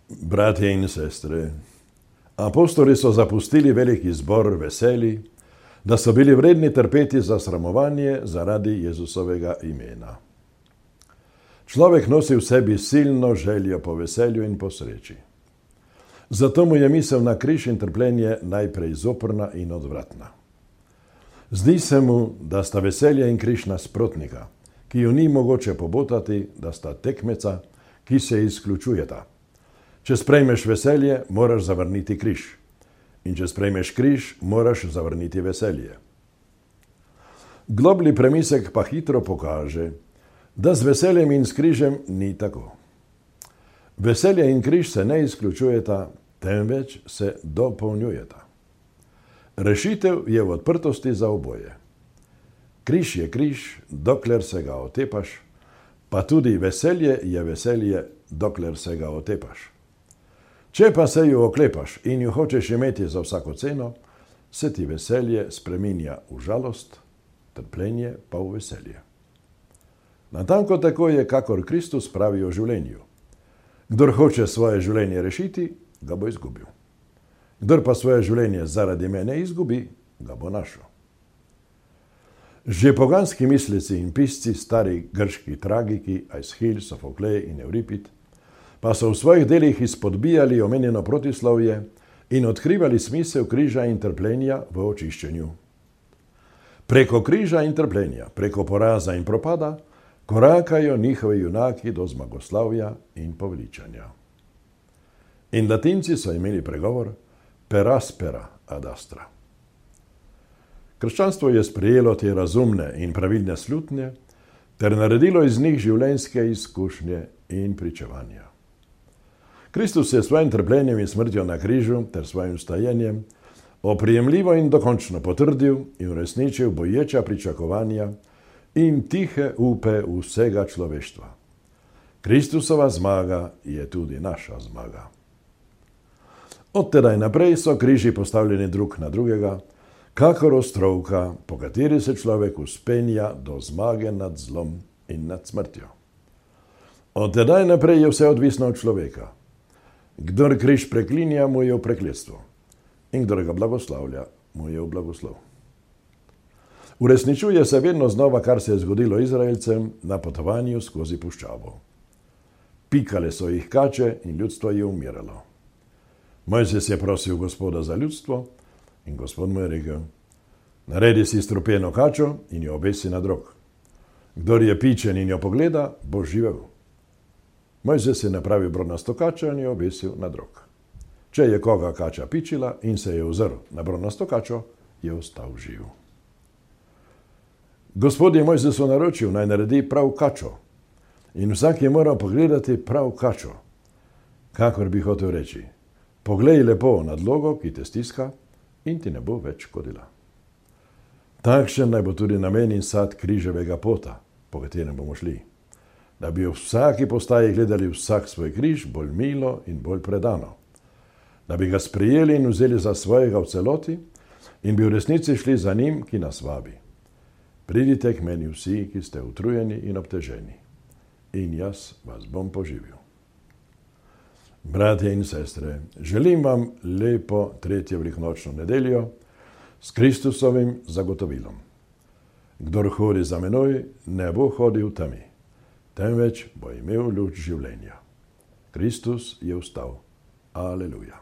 Bratje in sestre, apostoli so zapustili veliki zbor veseli, da so bili vredni trpeti za sramovanje zaradi Jezusovega imena. Človek nosi v sebi silno željo po veselju in po sreči. Zato mu je misel na križ in trpljenje najprej zoprna in odvratna. Zdi se mu, da sta veselje in križ nasprotnika, ki ju ni mogoče pobotati, da sta tekmeca, ki se izključujeta. Če sprejmeš veselje, moraš zavrniti križ. In če sprejmeš križ, moraš zavrniti veselje. Globlji premislek pa hitro pokaže, da z veseljem in s križem ni tako. Veselje in križ se ne izključujeta, temveč se dopolnjujeta. Rešitev je v odprtosti za oboje. Križ je križ, dokler se ga otepaš, pa tudi veselje je veselje, dokler se ga otepaš. Če pa se ju oklepaš in ju hočeš imeti za vsako ceno, se ti veselje spreminja v žalost, trpljenje pa v veselje. Natanko tako je, kakor Kristus pravi o življenju. Kdor hoče svoje življenje rešiti, ga bo izgubil. Kdor pa svoje življenje zaradi mene izgubi, ga bo našel. Že poganski mislici in pisci, stari grški tragiki, Aeschil, Sofoklej in Euripid, pa so v svojih delih izpodbijali omenjeno protislovje in odkrivali smisel križa in trpljenja v očiščenju. Preko križa in trpljenja, preko poraza in propada, korakajo njihovi junaki do zmagoslavja in poveličanja. In Latinci so imeli pregovor per aspera ad astra. Krščanstvo je sprejelo te razumne in pravilne slutnje ter naredilo iz njih življenjske izkušnje in pričevanja. Kristus je svojim trpljenjem in smrtjo na križu ter svojim vstajenjem oprijemljivo in dokončno potrdil in uresničil boječa pričakovanja in tihe upe vsega človeštva. Kristusova zmaga je tudi naša zmaga. Od tedaj naprej so križi postavljeni drug na drugega, kakor ostrovka, po kateri se človek vzpenja do zmage nad zlom in nad smrtjo. Od tedaj naprej je vse odvisno od človeka. Kdor križ preklinja, mu je v prekletstvo, in kdor ga blagoslavlja, mu je v blagoslov. Uresničuje se vedno znova, kar se je zgodilo Izraelcem na potovanju skozi puščavo. Pikale so jih kače in ljudstvo je umiralo. Mojzes je prosil Gospoda za ljudstvo in Gospod mu je rekel: naredi si strupeno kačo in jo obesi na drog. Kdor je pičen in jo pogleda, bo živel. Mojzes je napravil bronasto kačo in jo obesil na drog. Če je koga kača pičila in se je ozrl na bronasto kačo, je ostal živ. Gospod je Mojzesu naročil, naj naredi prav kačo. In vsak je moral pogledati prav kačo. Kakor bi hotel reči: poglej lepo nadlogo, ki te stiska, in ti ne bo več škodila. Takšen naj bo tudi namen in sad križevega pota, po katerem bomo šli. Da bi v vsaki postaji gledali vsak svoj križ bolj milo in bolj predano. Da bi ga sprejeli in vzeli za svojega v celoti in bi v resnici šli za njim, ki nas vabi. Pridite k meni vsi, ki ste utrujeni in obteženi, in jaz vas bom poživil. Bratje in sestre, želim vam lepo 3. velikonočno nedeljo s Kristusovim zagotovilom. Kdor hodi za menoj, ne bo hodil v temi, temveč bo imel luč življenja. Kristus je vstal. Aleluja.